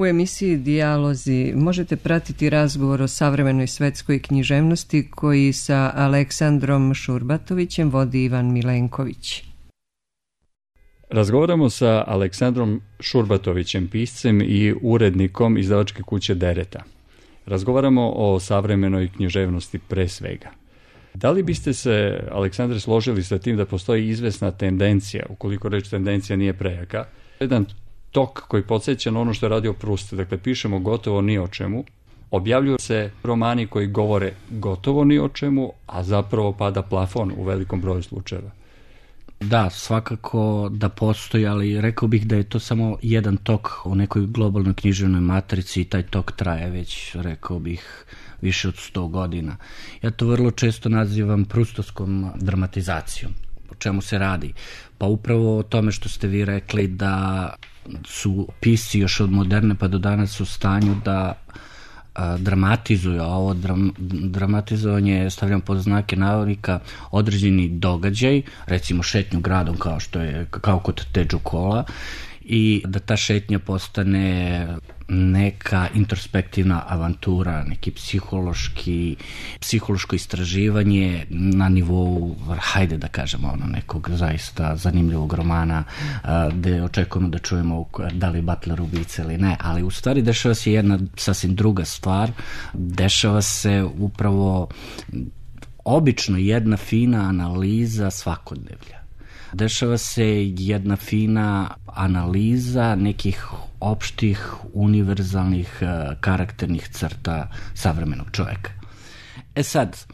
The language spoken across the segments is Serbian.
U emisiji Dijalozi možete pratiti razgovor o savremenoj svetskoj književnosti koji sa Aleksandrom Šurbatovićem vodi Ivan Milenković. Razgovaramo sa Aleksandrom Šurbatovićem, piscem i urednikom izdavačke kuće Dereta. Razgovaramo o savremenoj književnosti pre svega. Da li biste se, Aleksandre, složili sa tim da postoji izvesna tendencija, ukoliko reč tendencija nije prejaka, jedan tok koji podsjeća na ono što je radio Proust, dakle pišemo gotovo ni o čemu, objavljuju se romani koji govore gotovo ni o čemu, a zapravo pada plafon u velikom broju slučajeva. Da, svakako da postoji, ali rekao bih da je to samo jedan tok u nekoj globalnoj književnoj matrici i taj tok traje već, rekao bih, više od 100 godina. Ja to vrlo često nazivam prustovskom dramatizacijom. O čemu se radi? Pa upravo o tome što ste vi rekli da su pisci još od moderne pa do danas u stanju da dramatizuju, a ovo dramatizovanje stavljam pod znake navodnika, određeni događaj, recimo šetnju gradom kao kod Teđu Kola, i da ta šetnja postane neka introspektivna avantura, neki psihološko istraživanje na nivou, hajde da kažemo, nekog zaista zanimljivog romana gde očekujemo da čujemo da li Butler ubica ili ne, ali u stvari dešava se jedna sasvim druga stvar, dešava se upravo obično jedna fina analiza svakodnevlja. Dešava se jedna fina analiza nekih opštih, univerzalnih karakternih crta savremenog čoveka. Sad,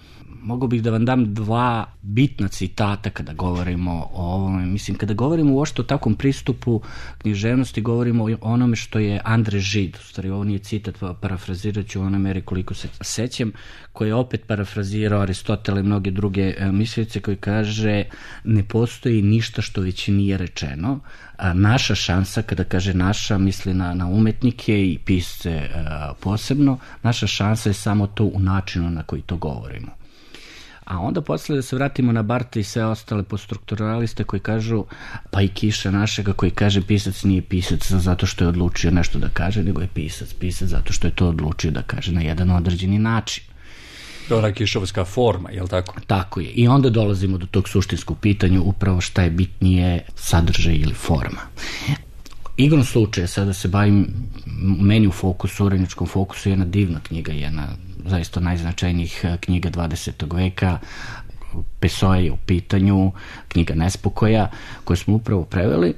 mogu bih da vam dam dva bitna citata kada govorimo o ovome. Mislim, kada govorimo uopšte o takvom pristupu književnosti, govorimo o onome što je Andre Gide, u stvari ovo nije citat, parafrazirat ću u onoj meri koliko se sećam, koji je opet parafrazirao Aristotela i mnoge druge mislioce, koji kaže ne postoji ništa što već nije rečeno. Naša šansa, kada kaže naša, misli na umetnike i pisce posebno, naša šansa je samo to u načinu na koji to govorimo. A onda posle da se vratimo na Bartha i sve ostale poststrukturaliste koji kažu, pa i Kiša našega koji kaže pisac nije pisac zato što je odlučio nešto da kaže, nego je pisac zato što je to odlučio da kaže na jedan određeni način. To je ona kišovska forma, je li tako? Tako je. I onda dolazimo do tog suštinskog pitanja upravo šta je bitnije, sadržaj ili forma. Igrom slučaja, sada se bavim, meni u fokusu, uredničkom fokusu, jedna divna knjiga, jedna zaista najznačajnijih knjiga 20. veka, Pessoa je u pitanju, knjiga Nespokoja, koju smo upravo preveli.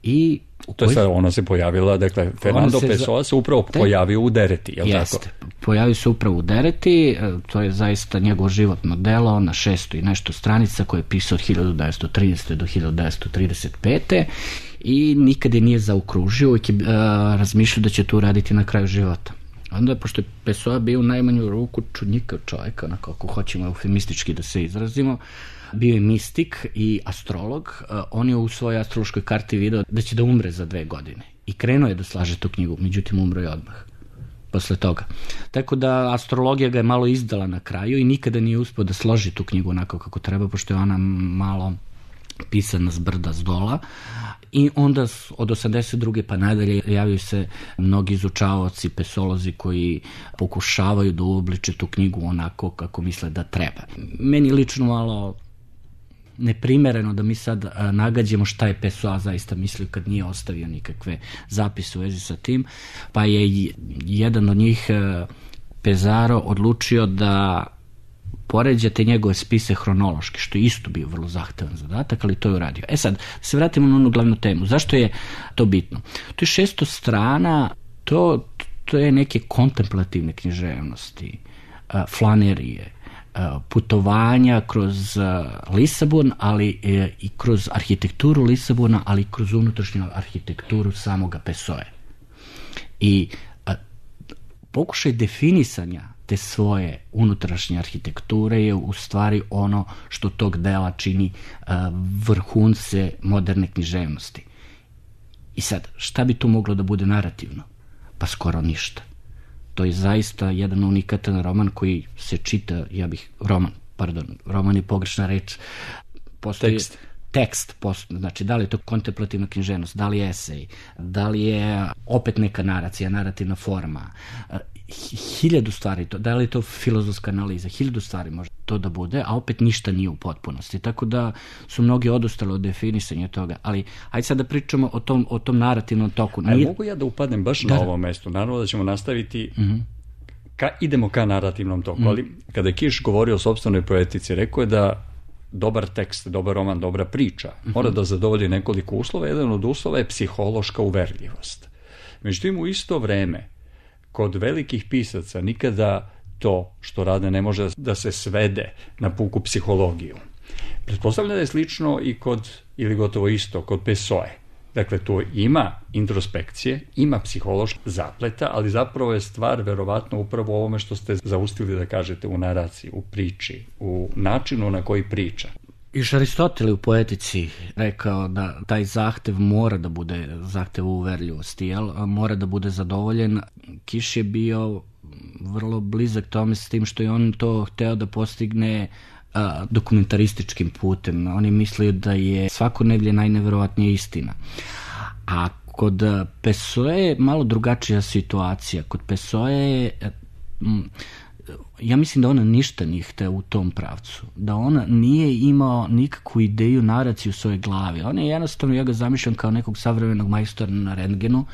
I to je sad, ona se pojavila, dakle, Fernando Pessoa se upravo pojavio u Dereti, je li tako? Jeste, pojavio se upravo u Dereti, to je zaista njegovo životno delo na 600 i nešto stranica koje je pisao od 1913. do 1935. I nikad je nije zaokružio, uvijek je razmišljao da će to uraditi na kraju života. Onda, pošto je Pessoa bio u najmanju ruku čudnjikav čovjek, onako ako hoćemo eufemistički da se izrazimo, bio je mistik i astrolog, on je u svojoj astrološkoj karti video da će da umre za 2 godine. I krenuo je da slaže tu knjigu, međutim umro je odmah posle toga. Tako da astrologija ga je malo izdala na kraju i nikada nije uspio da složi tu knjigu onako kako treba, pošto je ona malo pisana s brda s dola. I onda od 82. pa nadalje javljaju se mnogi izučavaoci, pesolozi koji pokušavaju da uobliče tu knjigu onako kako misle da treba. Meni lično malo neprimereno da mi sad nagađamo šta je Pessoa zaista mislio kad nije ostavio nikakve zapise u vezi sa tim, pa je jedan od njih, Pesaro, odlučio da poređate njegove spise hronološki, što je isto bio vrlo zahtevan zadatak, ali to je uradio. Sad, se vratimo na onu glavnu temu. Zašto je to bitno? To je 600 strana, to je neke kontemplativne književnosti, flanerije, putovanja kroz Lisabon, ali i kroz arhitekturu Lisabona, ali i kroz unutrašnju arhitekturu samoga Pessoe. I pokušaj definisanja te svoje unutrašnje arhitekture je u stvari ono što tog dela čini vrhunce moderne književnosti. I sad, šta bi tu moglo da bude narativno? Pa skoro ništa. To je zaista jedan unikatan roman koji se čita, roman je pogrešna reč. tekst, znači da li je to kontemplativna književnost, da li je esej, da li je opet neka naracija, narativna forma, 1000 stvari, da li je to filozofska analiza, 1000 stvari može to da bude, a opet ništa nije u potpunosti. Tako da su mnogi odustali od definisanja toga. Ali ajde sad da pričamo o tom narativnom toku. Mogu ja da upadnem baš na ovo mesto? Naravno da ćemo nastaviti, idemo ka narativnom toku, ali kada je Kiš govorio o sopstvenoj poetici, rekao je da dobar tekst, dobar roman, dobra priča mora da zadovolji nekoliko uslova. Jedan od uslova je psihološka uverljivost. Međutim, u isto vreme, kod velikih pisaca nikada to što rade ne može da se svede na puku psihologiju. Pretpostavljam da je slično i ili gotovo isto, kod Pessoe. Dakle, tu ima introspekcije, ima psihološkog zapleta, ali zapravo je stvar verovatno upravo u ovome što ste zaustili da kažete u naraciji, u priči, u načinu na koji priča. Iš Aristotel je u poetici rekao da taj zahtev mora da bude zahtev uverljivosti, mora da bude zadovoljen. Kiš je bio vrlo blizak tome s tim što je on to hteo da postigne dokumentarističkim putem. Oni misle da je svakodnevlje najneverovatnija istina. A kod Pessoe je malo drugačija situacija. Kod Pessoe ja mislim da ona ništa nije hteo u tom pravcu. Da ona nije imao nikakvu ideju, naraciju u svojoj glavi. On je jednostavno, ja ga zamišljam kao nekog savremenog majstora na rentgenu,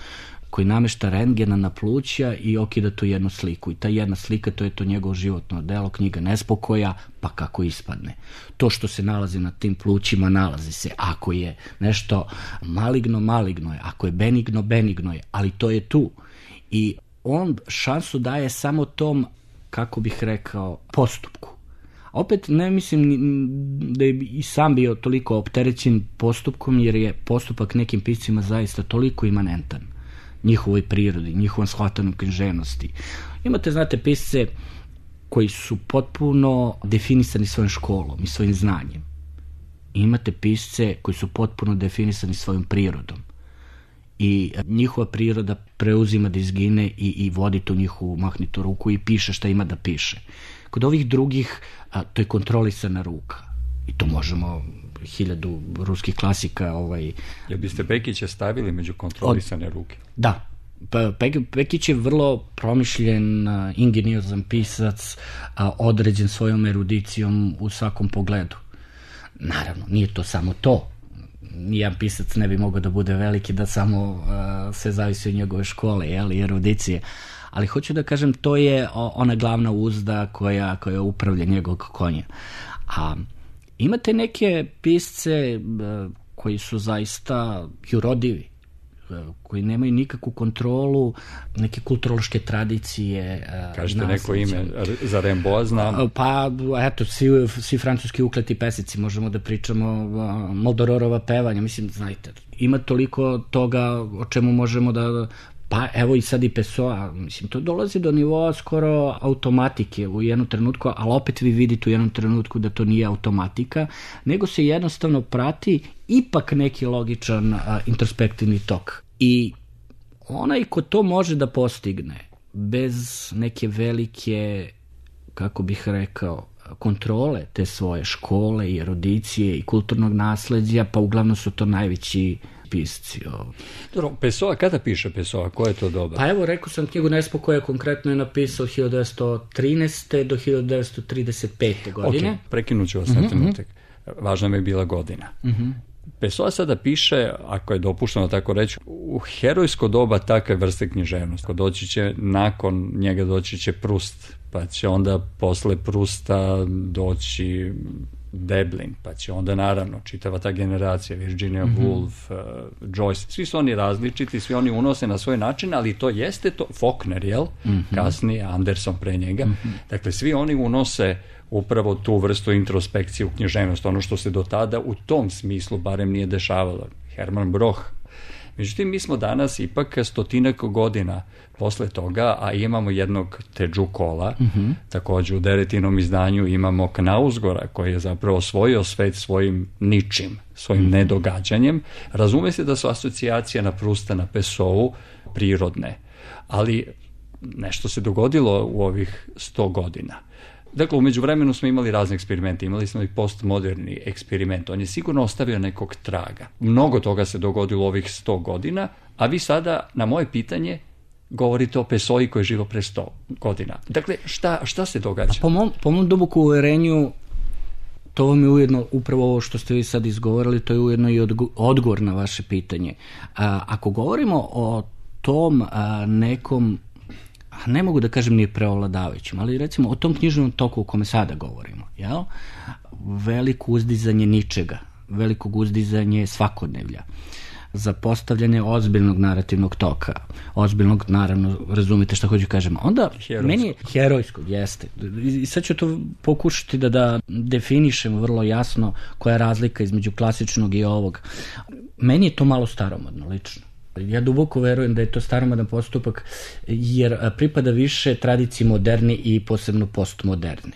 koji namešta rentgena na pluća i okida tu jednu sliku. I ta jedna slika, to je to njegovo životno delo, knjiga Nespokoja, pa kako ispadne. To što se nalazi na tim plućima, nalazi se. Ako je nešto maligno, maligno je. Ako je benigno, benigno je. Ali to je tu. I on šansu daje samo tom, kako bih rekao, postupku. Opet ne mislim da je i sam bio toliko opterećen postupkom, jer je postupak nekim piscima zaista toliko imanentan njihovoj prirodi, njihovom shvatanju književnosti. Imate, znate, pisce koji su potpuno definisani svojom školom i svojim znanjem. Imate pisce koji su potpuno definisani svojom prirodom. I njihova priroda preuzima da izgine i vodi tu njihovu mahnitu ruku i piše šta ima da piše. Kod ovih drugih to je kontrolisana ruka. I to možemo 1000 ruskih klasika. Jel biste Pekića stavili među kontrolisane ruke? Da. Pekić je vrlo promišljen, ingeniozan pisac, određen svojom erudicijom u svakom pogledu. Naravno, nije to samo to. Nijedan pisac ne bi mogao da bude veliki da samo sve zavisi od njegove škole, i erudicije. Ali hoću da kažem, to je ona glavna uzda koja upravlja njegovog konja. A imate neke pisce koji su zaista jurodivi, koji nemaju nikakvu kontrolu, neke kulturološke tradicije. Kažete neko ime za Rimbaud znam? Pa, eto, svi francuski ukleti pesnici, možemo da pričamo Moldororova pevanja, mislim, znajte, ima toliko toga o čemu možemo da... Pa evo i sad i Pessoa, mislim, to dolazi do nivoa skoro automatike u jednom trenutku, ali opet vi vidite u jednom trenutku da to nije automatika, nego se jednostavno prati ipak neki logičan introspektivni tok. I onaj ko to može da postigne bez neke velike, kako bih rekao, kontrole te svoje škole i erudicije i kulturnog nasleđa, pa uglavnom su to najveći pisci. Dobro, Pessoa, kada piše Pessoa? Koje je to doba? Pa evo, rekao sam, knjigu Nespokoja konkretno je napisao 1913. do 1935. godine. Ok, prekinut ću vas na trenutak. Važna mi je bila godina. Pessoa sada piše, ako je dopušteno tako reći, u herojsko doba takve vrste književnosti. Nakon njega doći će Proust, pa će onda posle Prousta doći Deblin, pa će onda naravno čitava ta generacija, Virginia Woolf, Joyce, svi su oni različiti, svi oni unose na svoj način, ali to jeste to, Faulkner, jel? Kasnije, Anderson pre njega. Dakle, svi oni unose upravo tu vrstu introspekcije u književnost, ono što se do tada u tom smislu barem nije dešavalo. Hermann Broch. Međutim, mi smo danas ipak 100 godina posle toga, a imamo jednog Teđu Kola, također u Deretinom izdanju imamo Knausgora, koji je zapravo osvojio svet svojim ničim, svojim nedogađanjem. Razume se da su asocijacije na Prousta, na Pessou prirodne, ali nešto se dogodilo u ovih 100 godina. Dakle, u međuvremenu smo imali razne eksperimente, imali smo i postmoderni eksperiment, on je sigurno ostavio nekog traga. Mnogo toga se dogodilo u ovih 100 godina, a vi sada na moje pitanje govorite o Pessoi koji je živo pre 100 godina. Dakle, šta se događa? Po mom duboku uverenju, to vam je ujedno, upravo ovo što ste vi sad izgovorili, to je ujedno i odgovor na vaše pitanje. Ako govorimo o tom nekom, ne mogu da kažem nije preovladavajućim, ali recimo o tom književnom toku o kome sada govorimo, jel? Veliko uzdizanje ničega, velikog uzdizanje svakodnevlja, za postavljanje ozbiljnog narativnog toka, ozbiljnog, naravno, razumite šta hoću kažem, onda meni je herojskog, jeste. I sad ću to pokušati da definišem vrlo jasno koja je razlika između klasičnog i ovog. Meni je to malo staromodno, lično. Ja duboko verujem da je to staromodan postupak, jer pripada više tradiciji moderni i posebno postmoderni.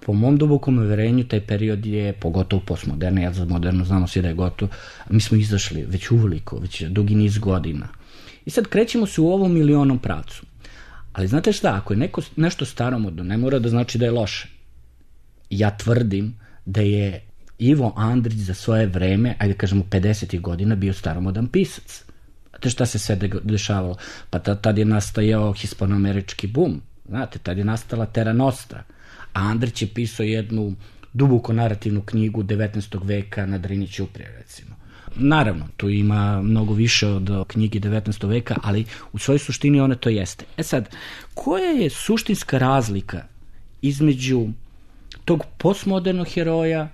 Po mom dubokom uverenju taj period je, pogotovo postmoderni, ja za moderno znamo svi da je gotovo, mi smo izašli već uveliko, već dugi niz godina. I sad krećemo se u ovom ili onom pravcu. Ali znate šta, ako je nešto staromodno, ne mora da znači da je loše. Ja tvrdim da je Ivo Andrić za svoje vreme, ajde kažemo 50. godina, bio staromodan pisac. Znate šta se sve dešavalo? Pa tad je nastajao hispanoamerički bum, znate, tad je nastala Terra Nostra. A Andrić je pisao jednu duboko narativnu knjigu 19. veka na Drini ćuprije, recimo. Naravno, tu ima mnogo više od knjigi 19. veka, ali u svojoj suštini ona to jeste. E sad, koja je suštinska razlika između tog postmodernog heroja,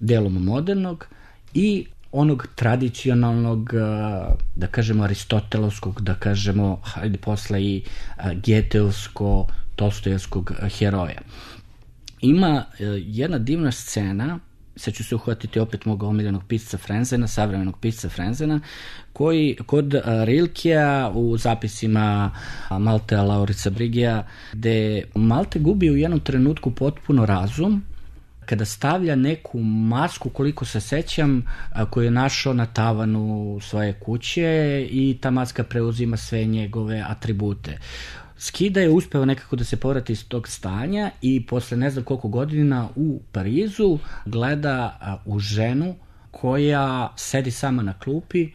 delom modernog, i onog tradicionalnog, da kažemo aristotelovskog, da kažemo, hajde posle i Geteovsko, Tolstojevskog heroja. Ima jedna divna scena, sad ću se uhvatiti opet mog omiljenog pisca Frenzena, savremenog pisca Frenzena, koji kod Rilkea u zapisima Maltea Laurica Brigija, gde Malte gubi u jednom trenutku potpuno razum, kada stavlja neku masku, koliko se sećam, koju je našao na tavanu svoje kuće i ta maska preuzima sve njegove atribute. Skida je uspeo nekako da se povrati iz tog stanja i posle ne znam koliko godina u Parizu gleda u ženu koja sedi sama na klupi,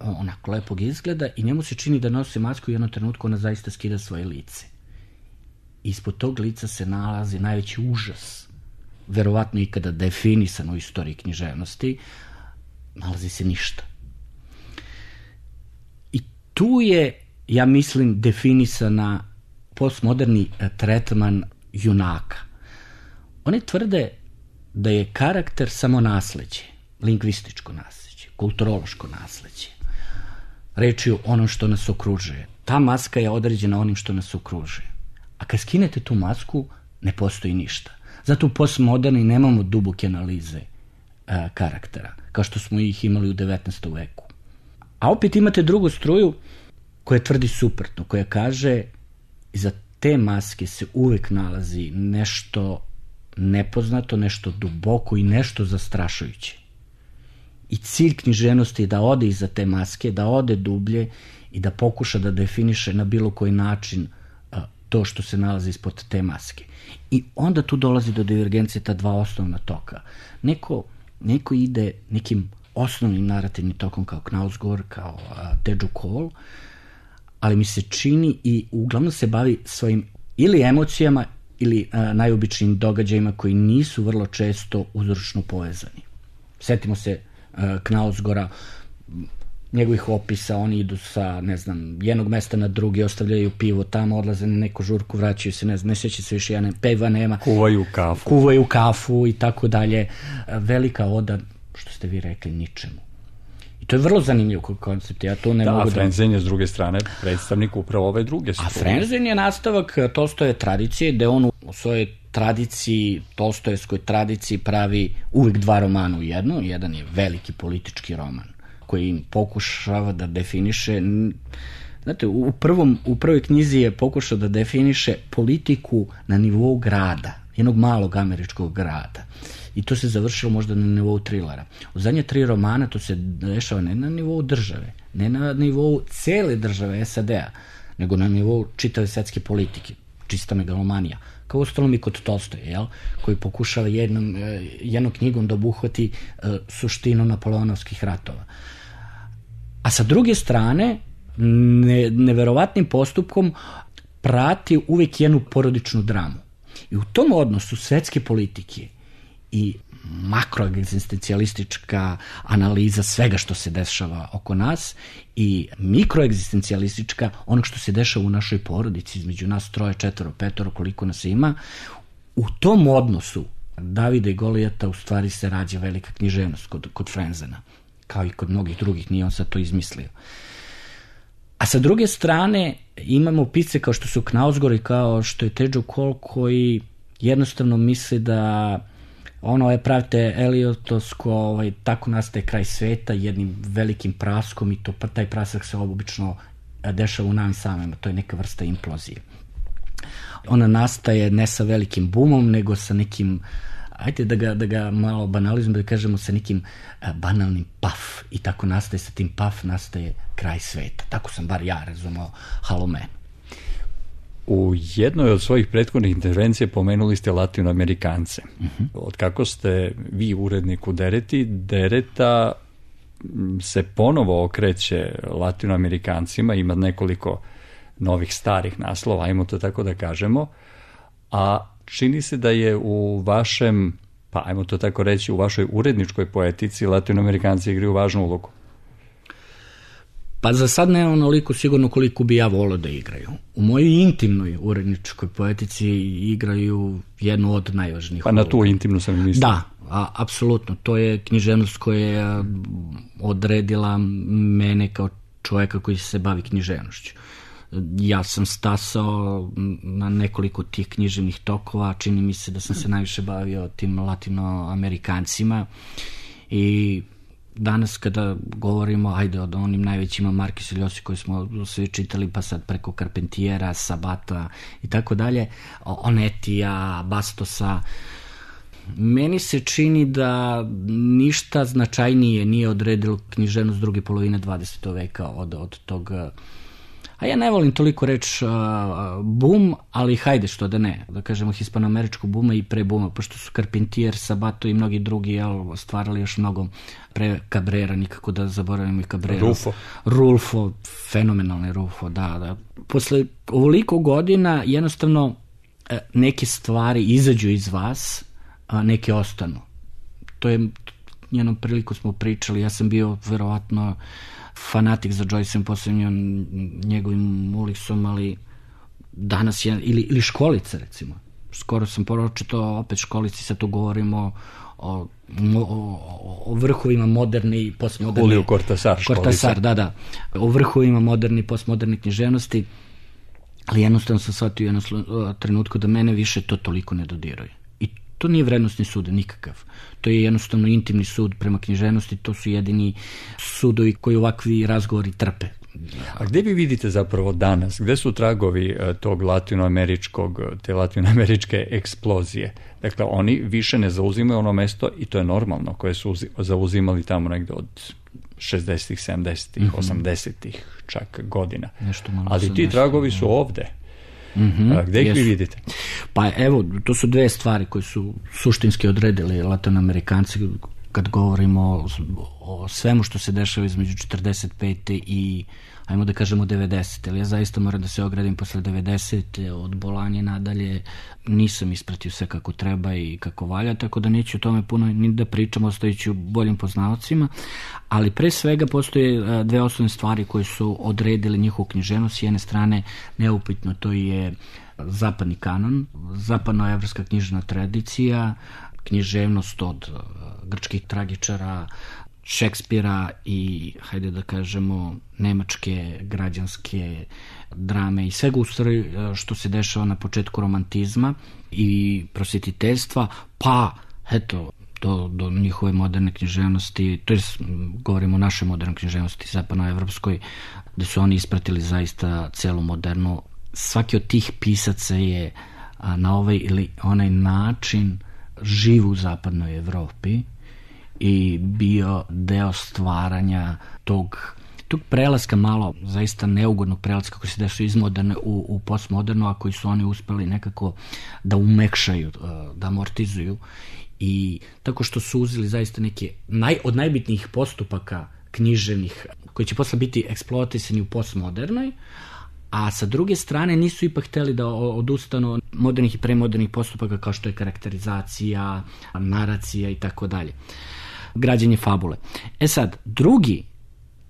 onako lepog izgleda, i njemu se čini da nosi masku i u jednom trenutku ona zaista skida svoje lice. Ispod tog lica se nalazi najveći užas, verovatno ikada definisan u istoriji književnosti, nalazi se ništa. I tu je, ja mislim, definisana postmoderni tretman junaka. Oni tvrde da je karakter samo nasleđe, lingvističko nasleđe, kulturološko nasleđe. Reč je o onom što nas okružuje. Ta maska je određena onim što nas okružuje. A kad skinete tu masku, ne postoji ništa. Zato u postmoderni nemamo duboke analize karaktera, kao što smo ih imali u 19. veku. A opet imate drugu struju koja tvrdi suprotno, koja kaže iza te maske se uvek nalazi nešto nepoznato, nešto duboko i nešto zastrašujuće. I cilj književnosti je da ode iza te maske, da ode dublje i da pokuša da definiše na bilo koji način to što se nalazi ispod te maske. I onda tu dolazi do divergencije ta dva osnovna toka. Neko ide nekim osnovnim narativnim tokom kao Knausgård, kao Teju Cole, ali mi se čini i uglavnom se bavi svojim ili emocijama ili najobičnijim događajima koji nisu vrlo često uzročno povezani. Setimo se Knausgårda, njegovih opisa, oni idu sa, ne znam, jednog mesta na drugi, ostavljaju pivo tamo, odlaze na neku žurku, vraćaju se, ne sjeća se više, peva nema. Kuvaju kafu i tako dalje. Velika oda, što ste vi rekli, ničemu. I to je vrlo zanimljiv koncept. Ja to ne mogu a Frenzen je s druge strane predstavnik upravo ove druge strane. A Frenzen je nastavak Tolstoje tradicije, gde on u svojoj tradiciji, Tolstojevskoj tradiciji pravi uvijek dva romana u jednu. Jedan je veliki politički roman koji im pokušava da definiše, znate, u prvoj knjizi je pokušao da definiše politiku na nivou grada, jednog malog američkog grada. I to se završilo možda na nivou trilera. U zadnje 3 romana to se dešava ne na nivou države, ne na nivou cele države SAD-a, nego na nivou čitave svetske politike. čista megalomanija. Kao uostalom i kod Tolstoja, koji pokušava jednom knjigom da obuhvati suštinu napoleonovskih ratova. A sa druge strane, neverovatnim postupkom prati uvijek jednu porodičnu dramu. I u tom odnosu svetske politike i makroegzistencijalistička analiza svega što se dešava oko nas i mikroegzistencijalistička onog što se dešava u našoj porodici, između nas 3, 4, 5, koliko nas ima, u tom odnosu Davida i Golijata u stvari se rađa velika književnost kod Frenzena, kao i kod mnogih drugih, nije on sad to izmislio. A sa druge strane imamo pisce kao što su Knausgård i kao što je Tejo Cole, koji jednostavno misle da pravite Eliotovsko, tako nastaje kraj sveta jednim velikim praskom i taj prasak se obično dešava u nam samima, to je neka vrsta implozije. Ona nastaje ne sa velikim bumom, nego sa nekim, ajde da ga malo banalizujemo, da kažemo sa nekim banalnim paf, i tako nastaje, sa tim paf nastaje kraj sveta. Tako sam bar ja razumeo Halomenu. U jednoj od svojih prethodnih intervencija pomenuli ste Latinoamerikance. Od kako ste vi urednik u Dereti, Dereta se ponovo okreće Latinoamerikancima, ima nekoliko novih starih naslova, ajmo to tako da kažemo, a čini se da je u vašem, pa ajmo to tako reći, u vašoj uredničkoj poetici Latinoamerikanci igraju važnu ulogu. Pa za sad ne onoliko sigurno koliko bi ja volio da igraju. U mojoj intimnoj uredničkoj poetici igraju jednu od najvažnijih uloga. Pa na tu intimnu sam mislio. Da, apsolutno. To je književnost koja je odredila mene kao čovjeka koji se bavi književnošću. Ja sam stasao na nekoliko tih književnih tokova, čini mi se da sam se najviše bavio tim Latinoamerikancima i danas kada govorimo, ajde, o onim najvećima, Marquez i Llosi koji smo svi čitali, pa sad preko Carpentiera, Sabata i tako dalje, Onetija, Bastosa, meni se čini da ništa značajnije nije odredilo književnost druge polovine 20. veka od tog, a ja ne volim toliko reći boom, ali hajde što da ne, da kažemo hispanoameričkog buma i pre buma, pošto su Carpentier, Sabato i mnogi drugi stvarali još mnogo pre Cabrera, nikako da zaboravimo i Cabrera. Rulfo, fenomenalni Rulfo, da. Posle ovoliko godina jednostavno neke stvari izađu iz vas, a neke ostanu. To je, jednom priliku smo pričali, ja sam bio verovatno fanatik za Joyceom, posebno njegovim Ulisom, ali danas je, ili Školica recimo. Skoro sam pročitao opet Školici, sad tu govorimo o vrhovima moderne i postmoderne. Julio Cortázar, da. O vrhovima moderne i postmoderne književnosti, ali jednostavno sam shvatio u jednom trenutku da mene više to toliko ne dodiruje. I to nije vrednostni sud nikakav. To je jednostavno intimni sud prema književnosti, to su jedini sudovi koji ovakvi razgovori trpe. A gdje vi vidite zapravo danas, gdje su tragovi tog te latinoameričke eksplozije? Dakle, oni više ne zauzimaju ono mesto, i to je normalno, koje su zauzimali tamo negdje od 60-ih, 70-ih, 80-ih čak godina. Ali ti tragovi su ovdje. Gdje ih vi vidite? Pa evo, to su dve stvari koje su suštinski odredili Latinoamerikanci kad govorimo o svemu što se dešava između 45. i ajmo da kažemo 90. Ali ja zaista moram da se ogradim posle 90. od Bolanje nadalje nisam ispratio sve kako treba i kako valja, tako da neću o tome puno ni da pričam, ostajući u boljim poznavacima, ali pre svega postoje dve osnovne stvari koje su odredili njihovu književnost. S jedne strane, neupitno, to je zapadni kanon, zapadnoevropska književna tradicija, književnost od grčkih tragičara, Šekspira i, hajde da kažemo, nemačke građanske drame i svega u stvari što se dešava na početku romantizma i prosvetiteljstva, pa eto do njihove moderne književnosti, to je, govorimo o našoj modernoj književnosti, zapadnoevropskoj, gde su oni ispratili zaista celu modernu. Svaki od tih pisaca je na ovaj ili onaj način živ u zapadnoj Evropi i bio deo stvaranja tog tog prelaska malo, zaista neugodnog prelaska koji se dešava iz moderne u postmoderno, a koji su oni uspeli nekako da umekšaju, da amortizuju, i tako što su uzeli zaista neke od najbitnijih postupaka književnih koji će posle biti eksploatisani u postmodernoj, a sa druge strane nisu ipak hteli da odustanu modernih i premodernih postupaka kao što je karakterizacija, naracija i tako dalje. Građenje fabule. Sad, drugi,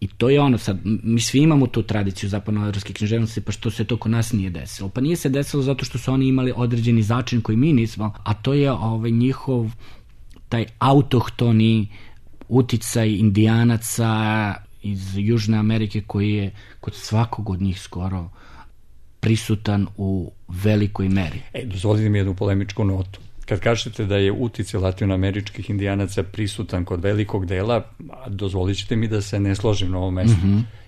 i to je ono sad, mi svi imamo tu tradiciju zapadnoevropske književnosti, pa što se to kod nas nije desilo. Pa nije se desilo zato što su oni imali određeni začin koji mi nismo, a to je njihov taj autohtoni uticaj indijanaca iz Južne Amerike koji je kod svakog od njih skoro prisutan u velikoj meri. Dozvolite mi jednu polemičku notu. Kad kažete da je uticaj latinoameričkih indijanaca prisutan kod velikog dela, dozvolit ćete mi da se ne složim na ovom mestu.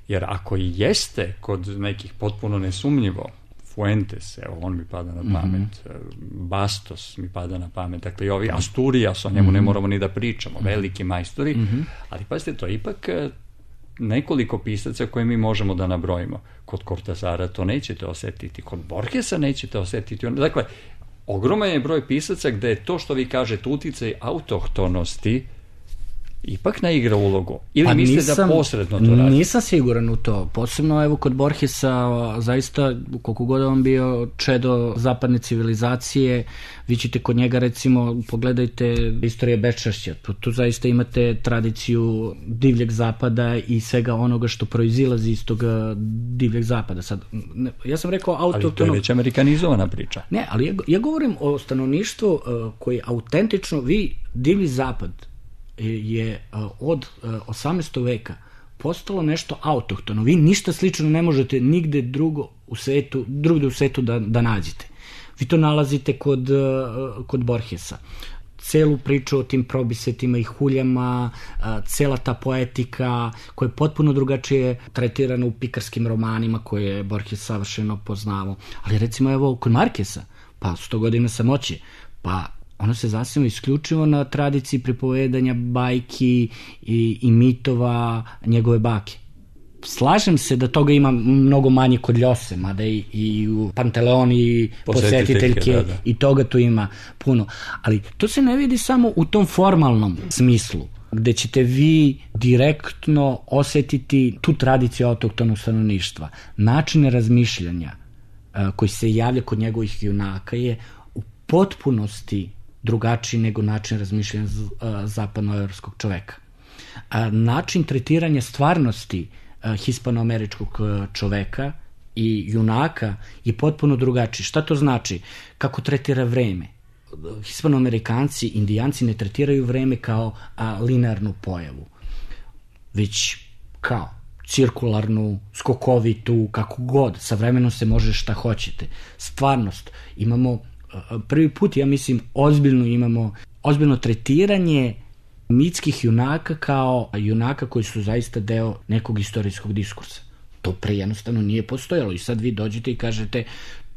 Jer ako i jeste kod nekih potpuno nesumnjivo, Fuentes, evo, on mi pada na pamet, Bastos mi pada na pamet, dakle i ovi Asturias, o njemu ne moramo ni da pričamo, veliki majstori, ali pazite, to je ipak nekoliko pisaca koje mi možemo da nabrojimo. Kod Cortasara to nećete osetiti, kod Borgesa nećete osetiti. Dakle, ogroman je broj pisaca gde je to što vi kažete uticaj autohtonosti ipak ne igra ulogu. Ili mislite da posredno to radi? Nisam siguran u to. Posebno evo kod Borgesa, zaista koliko god on bio čedo zapadne civilizacije, vi ćete kod njega recimo, pogledajte istorije beščašća. Tu zaista imate tradiciju divljeg zapada i svega onoga što proizilazi iz toga divljeg zapada. Sad, ja sam rekao autohtono... Ali to je već amerikanizovana priča. Ne, ali ja govorim o stanovništvu koji autentično, divlji zapad je od 18. veka postalo nešto autohtono. Vi ništa slično ne možete nigde drugde u svetu da nađete. Vi to nalazite kod Borgesa. Celu priču o tim probisetima i huljama, cela ta poetika koja je potpuno drugačije tretirana u pikarskim romanima koje je Borges savršeno poznavao. Ali recimo evo kod Markesa, pa 100 godina samoće, pa ono se zasniva isključivo na tradiciji pripovedanja bajki i mitova njegove bake. Slažem se da toga ima mnogo manje kod Ljose, mada i u Panteleoni i posjetiteljke i toga tu ima puno. Ali to se ne vidi samo u tom formalnom smislu, gde ćete vi direktno osetiti tu tradiciju autohtonog stanovništva. Način razmišljanja koji se javlja kod njegovih junaka je u potpunosti drugačiji nego način razmišljanja zapadnoevropskog čoveka. Način tretiranja stvarnosti hispanoameričkog čoveka i junaka je potpuno drugačiji. Šta to znači? Kako tretira vreme? Hispanoamerikanci, indijanci ne tretiraju vreme kao linearnu pojavu, već kao cirkularnu, skokovitu, kako god. Sa vremenom se može šta hoćete. Stvarnost. Imamo prvi put, ja mislim, ozbiljno tretiranje mitskih junaka kao junaka koji su zaista deo nekog istorijskog diskursa. To pre jednostavno nije postojalo i sad vi dođete i kažete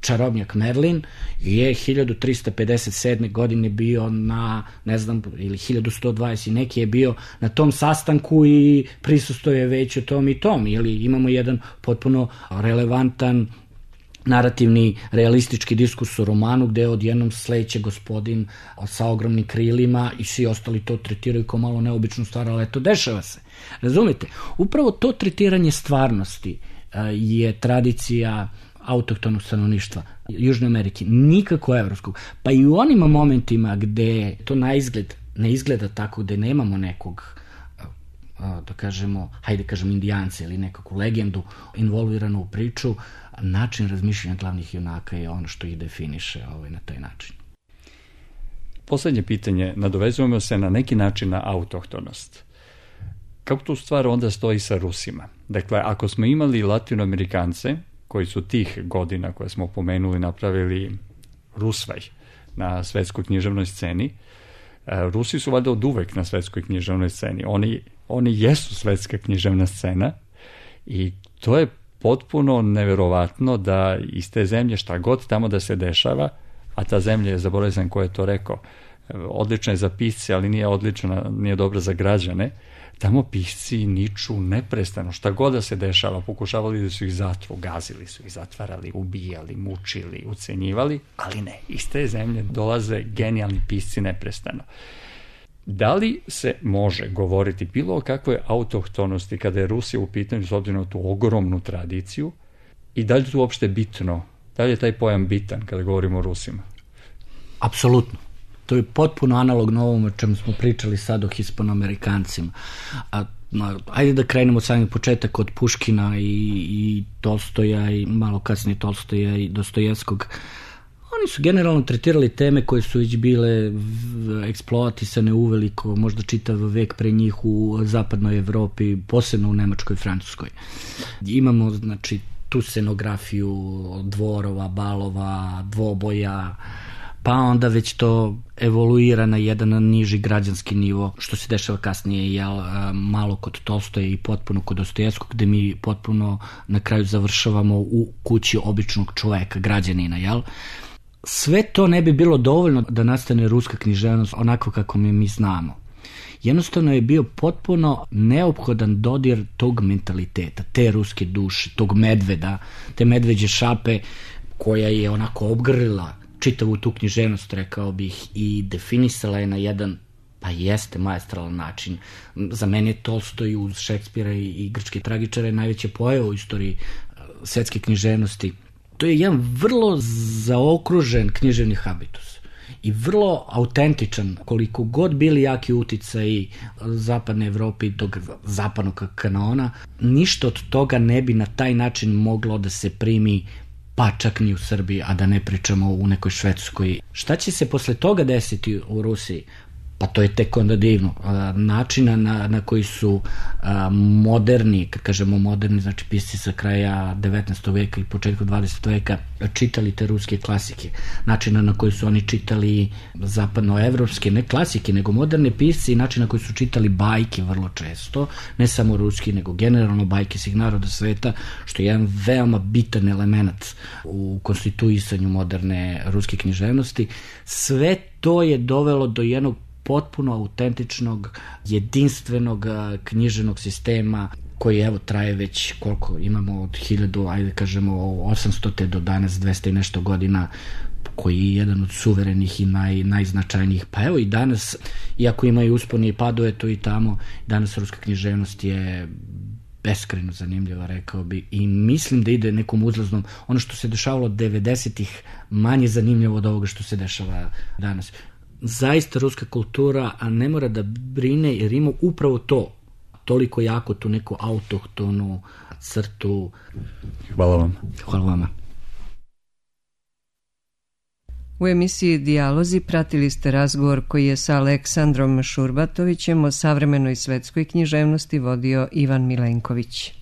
čarobnjak Merlin je 1357. godine bio na, ne znam, ili 1120 i neki je bio na tom sastanku i prisustuje već o tom i tom, ili imamo jedan potpuno relevantan narativni, realistički diskurs u romanu gde odjednom sleće gospodin sa ogromnim krilima i svi ostali to tretiraju kao malo neobičnu stvar, ali eto, dešava se. Razumite? Upravo to tretiranje stvarnosti je tradicija autohtonog stanovništva Južne Amerike, nikako evropskog. Pa i u onim momentima gde to na izgled ne izgleda tako, gde nemamo nekog da kažemo, hajde kažem indijance ili nekakvu legendu involviranu u priču, način razmišljanja glavnih junaka je ono što ih definiše na taj način. Poslednje pitanje, nadovezujemo se na neki način na autohtonost. Kako tu stvar onda stoji sa Rusima? Dakle, ako smo imali Latinoamerikance, koji su tih godina koje smo pomenuli napravili rusvaj na svetskoj književnoj sceni, Rusi su valjda od uvek na svetskoj književnoj sceni. Oni jesu svetska književna scena i to je potpuno neverovatno da iz te zemlje šta god tamo da se dešava, a ta zemlja je, zaboravio sam ko je to rekao, odlična je za pisce, ali nije odlična, nije dobra za građane. tamo pisci niču neprestano, šta god da se dešava, pokušavali da su ih zatru, gazili su ih, zatvarali, ubijali, mučili, ucenjivali, ali ne, iz te zemlje dolaze genijalni pisci neprestano. Da li se može govoriti bilo o kakvoj autohtonosti kada je Rusija u pitanju s obzirom na tu ogromnu tradiciju i da li je tu uopšte bitno, da li je taj pojam bitan kada govorimo o Rusima? Apsolutno. To je potpuno analogno ovom o čemu smo pričali sad o Hispanoamerikancima. Ajde da krenemo od samih početak od Puškina i Tolstoja i malo kasnije Tolstoja i Dostojevskog. Oni su generalno tretirali teme koje su već bile eksploatisane uveliko, možda čitav vek pre njih u zapadnoj Evropi, posebno u Nemačkoj i Francuskoj. Imamo, znači, tu scenografiju dvorova, balova, dvoboja, pa onda već to evoluira na jedan niži građanski nivo, što se dešava kasnije malo kod Tolstoja i potpuno kod Dostojevskog, gde mi potpuno na kraju završavamo u kući običnog čoveka, građanina, jel? Sve to ne bi bilo dovoljno da nastane ruska književnost onako kako mi znamo. Jednostavno je bio potpuno neophodan dodir tog mentaliteta, te ruske duše, tog medveda, te medveđe šape koja je onako obgrlila čitavu tu književnost, rekao bih, i definisala je na jedan, pa jeste, maestralan način. Za mene je Tolstoj uz Šekspira i grčke tragičare najveće pojava u istoriji svetske književnosti. To je jedan vrlo zaokružen književni habitus i vrlo autentičan, koliko god bili jaki uticaji zapadne Evrope i tog zapadnog kanona, ništa od toga ne bi na taj način moglo da se primi, pa čak ni u Srbiji, a da ne pričamo u nekoj Švedskoj. Šta će se posle toga desiti u Rusiji? Pa to je tek onda divno. Načina na koji su moderni, kad kažemo moderni, znači pisci sa kraja 19. veka i početka 20. veka čitali te ruske klasike. Načina na koji su oni čitali zapadnoevropske, ne klasike, nego moderne pisci, i način na koji su čitali bajke vrlo često, ne samo ruski, nego generalno bajke svih naroda sveta, što je jedan veoma bitan element u konstituisanju moderne ruske književnosti. Sve to je dovelo do jednog potpuno autentičnog, jedinstvenog književnog sistema koji evo traje već koliko imamo od 1000, ajde kažemo 800 do danas 200 i nešto godina, koji je jedan od suverenih i najznačajnijih. Pa evo i danas, iako imaju uspone i padove tu i tamo, danas ruska književnost je beskrajno zanimljiva, rekao bi, i mislim da ide nekom uzlaznom. Ono što se dešavalo 90-ih manje zanimljivo od ovoga što se dešava danas. Zaista ruska kultura, a ne mora da brine, jer ima upravo to, toliko jako tu neku autohtonu crtu. Hvala vam. Hvala vama. U emisiji Dijalozi pratili ste razgovor koji je sa Aleksandrom Šurbatovićem o savremenoj svetskoj književnosti vodio Ivan Milenković.